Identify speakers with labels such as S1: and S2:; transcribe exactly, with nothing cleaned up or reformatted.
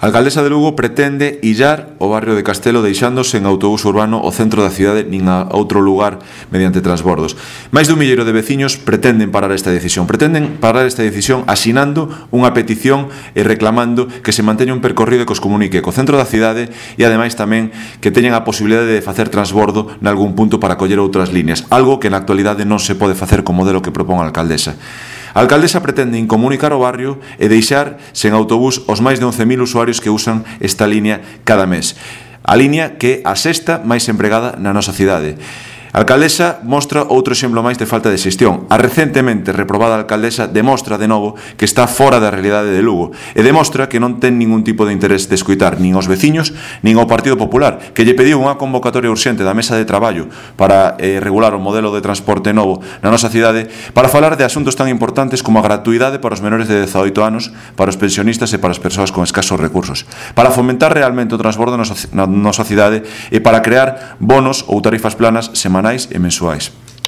S1: A alcaldesa de Lugo pretende illar o barrio de Castelo deixando sen autobús urbano o centro da cidade nin a outro lugar mediante transbordos. Máis dun milleiro de veciños pretenden parar esta decisión. Pretenden parar esta decisión asinando unha petición e reclamando que se manteña un percorrido que os comunique co centro da cidade e ademais tamén que teñan a posibilidade de facer transbordo nalgún punto para coller outras líneas, algo que na actualidade non se pode facer co modelo que propón a alcaldesa. A alcaldesa pretende incomunicar o barrio e deixar sen autobús os máis de once mil usuarios que usan esta línea cada mes. A línea que é a sexta máis empregada na nosa cidade. A alcaldesa mostra outro exemplo máis de falta de xestión. A recentemente reprobada alcaldesa demostra de novo que está fora da realidade de Lugo e demostra que non ten ningún tipo de interés de escoitar nin aos veciños nin ao Partido Popular, que lle pediu unha convocatoria urxente da mesa de traballo para eh, regular o modelo de transporte novo na nosa cidade para falar de asuntos tan importantes como a gratuidade para os menores de dezaoito anos, para os pensionistas e para as persoas con escasos recursos, para fomentar realmente o transbordo na nosa cidade e para crear bonos ou tarifas planas semanais e mensuais.